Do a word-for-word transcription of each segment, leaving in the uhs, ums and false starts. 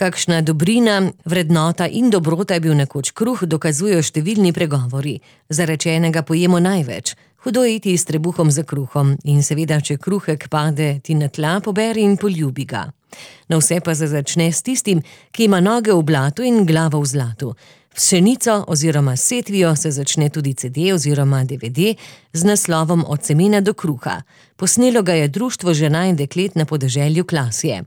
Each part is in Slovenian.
Kakšna dobrina, vrednota in dobrota je bil nekoč kruh, dokazujejo številni pregovori. Zarečenega pojemo največ. Hudo iti s trebuhom za kruhom in seveda, če kruhek pade ti na tla, poberi in poljubi ga. Na vse pa se začne s tistim, ki ima noge v blatu in glavo v zlatu. S pšenico oziroma setvijo se začne tudi ce de oziroma de ve de z naslovom Od semena do kruha. Posnelo ga je Društvo žena in deklet na podeželju Klasje.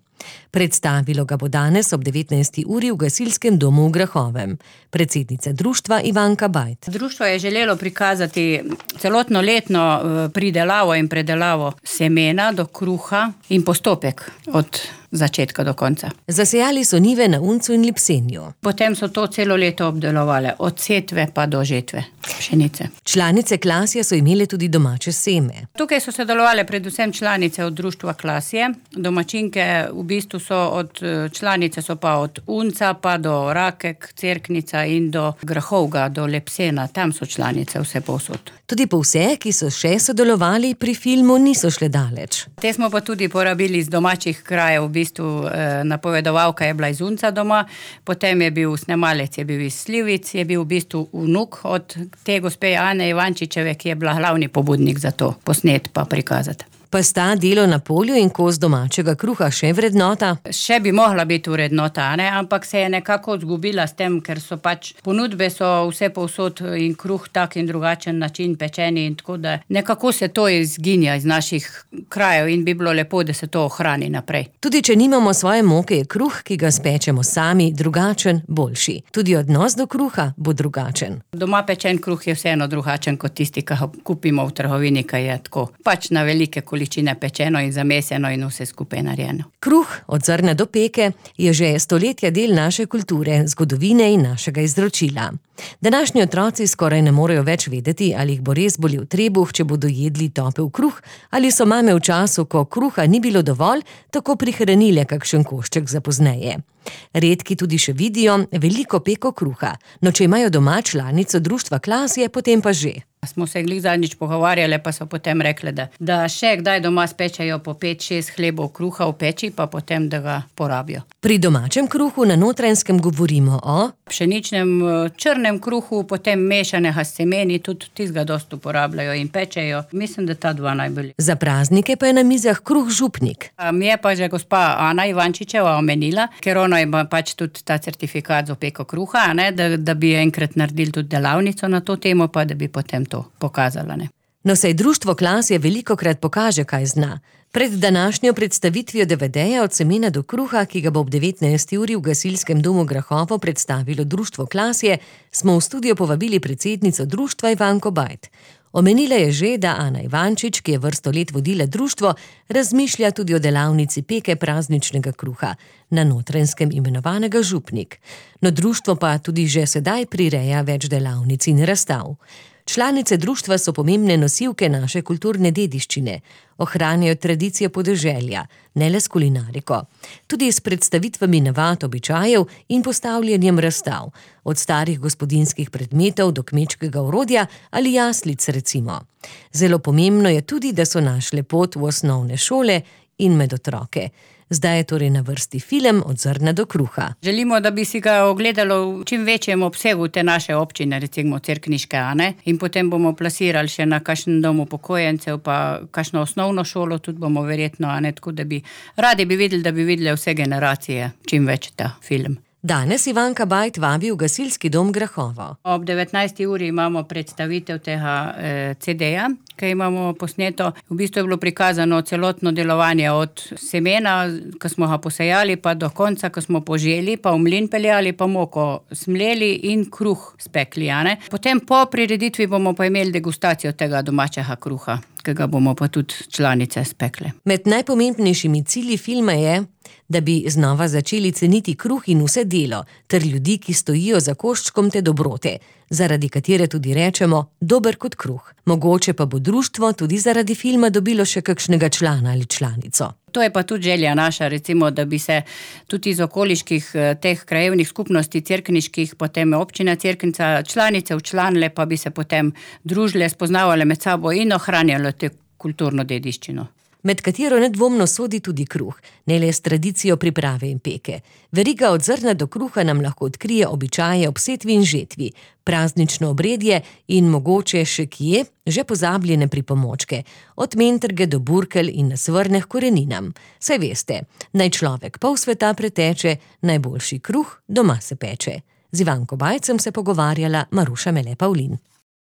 Predstavilo ga bo danes ob devetnajsti uri v gasilskem domu v Grahovem. Predsednica društva Ivanka Bajt. Društvo je želelo prikazati celotno letno pridelavo in predelavo semena do kruha in postopek od začetka do konca. Zasejali so njive na Uncu in Lipsenju. Potem so to celo leto obdelovali, od setve pa do žetve pšenice. Članice Klasje so imele tudi domače seme. Tukaj so sodelovali predvsem članice od društva Klasje. Domačinke v bistvu so od članice so pa od Unca pa do Rakek, Cerknica in do Grahovga, do Lepsena. Tam so članice vse povsod. Tudi po vse, ki so še sodelovali pri filmu, niso šle daleč. Te smo pa tudi porabili iz domačih krajev. V bistvu napovedovalka je bila iz Unca doma, potem je bil snemalec, je bil iz Slivic, je bil v bistvu vnuk od te gospe Ane Ivančičeve, ki je bila glavni pobudnik za to posnet pa prikazati. Pa sta delo na polju in kos domačega kruha še vrednota? Še bi mogla biti vrednota, ne? Ampak se je nekako zgubila s tem, ker so pač ponudbe so vse povsod in kruh tak in drugačen način pečeni in tako da nekako se to izginja iz naših krajev in bi bilo lepo, da se to ohrani naprej. Tudi če nimamo svoje moke, je kruh, ki ga spečemo sami, drugačen, boljši. Tudi odnos do kruha bo drugačen. Doma pečen kruh je vseeno drugačen kot tisti, ki ga kupimo v trgovini, ki je tako pač na velike količine pečeno in zameseno in vse skupaj narejeno. Kruh, od zrna do peke, je že stoletja del naše kulture, zgodovine in našega izročila. Današnji otroci skoraj ne morejo več vedeti, ali jih bo res bolel trebuh, če bodo jedli topel kruh, ali so mame v času, ko kruha ni bilo dovolj, tako prihranile kakšen košček za pozneje. Redki tudi še vidijo veliko peko kruha, no če imajo doma članico društva Klasje, potem pa že. Smo se glih zadnjič pogovarjali, pa so potem rekli, da, da še kdaj doma spečajo po pet, šest hlebov kruha v peči, pa potem, da ga porabijo. Pri domačem kruhu na Notranjskem govorimo o pšeničnem črnem kruhu, potem mešanega s semeni, tudi tistega dosti uporabljajo in pečejo. Mislim, da ta dva najbolj. Za praznike pa je na mizah kruh župnik. Mi je pa že gospa Ana Ivančičeva omenila, ker ona ima pač tudi ta certifikat za peko kruha, ne, da, da bi enkrat naredili tudi delavnico na to temo, pa da bi potem to pokazala. Ne. No, saj društvo Klasje velikokrat pokaže, kaj zna. Pred današnjo predstavitvijo de ve deja Od semena do kruha, ki ga bo ob devetnajsti uri v gasilskem domu Grahovo predstavilo društvo Klasje, smo v studio povabili predsednico društva Ivanko Bajt. Omenila je že, da Ana Ivančič, ki je vrsto let vodila društvo, razmišlja tudi o delavnici peke prazničnega kruha, na Notranjskem imenovanega župnik. No, društvo pa tudi že sedaj prireja več delavnic in razstav. Članice društva so pomembne nosilke naše kulturne dediščine, ohranjajo tradicijo podeželja, ne le s kulinariko, tudi s predstavitvami navad, običajev in postavljanjem razstav, od starih gospodinjskih predmetov do kmečkega orodja ali jaslic recimo. Zelo pomembno je tudi, da so našle pot v osnovne šole in med otroke. Zdaj je torej na vrsti film Od zrna do kruha. Želimo, da bi si ga ogledalo v čim večjem obsegu te naše občine, recimo cerkniške, Ane, in potem bomo plasirali še na kakšen dom upokojencev, pa kakšno osnovno šolo, tudi bomo verjetno, Ane, tako da bi radi bi videli, da bi videli vse generacije, čim več ta film. Danes Ivanka Bajt vabi v gasilski dom Grahovo. Ob devetnajsti uri imamo predstavitev tega eh, ce deja, ki imamo posneto. V bistvu je bilo prikazano celotno delovanje od semena, ko smo ga posejali, pa do konca, ko smo poželi, pa v mlin peljali, pa moko smleli in kruh spekli. Ne? Potem po prireditvi bomo pa imeli degustacijo tega domačega kruha, ki ga bomo pa tudi članice spekle. Med najpomembnejšimi cilji filma je, da bi znova začeli ceniti kruh in vse delo, ter ljudi, ki stojijo za koščkom te dobrote, zaradi katere tudi rečemo dober kot kruh. Mogoče pa bo društvo tudi zaradi filma dobilo še kakšnega člana ali članico. To je pa tudi želja naša, recimo, da bi se tudi iz okoliških teh krajevnih skupnosti cerkniških, potem občina Cerknica, članice včlanile, pa bi se potem družile, spoznavale med sabo in ohranjale te kulturno dediščino. med katero nedvomno sodi tudi kruh, ne le s tradicijo priprave in peke. Veriga od zrna do kruha nam lahko odkrije običaje ob setvi in žetvi, praznično obredje in mogoče še kje že pozabljene pripomočke, od mentrge do burkelj in nasvrneh koreninam. Saj veste, naj človek pol sveta preteče, najboljši kruh doma se peče. Z Ivanko Bajcem se pogovarjala Maruša Mele Pavlin.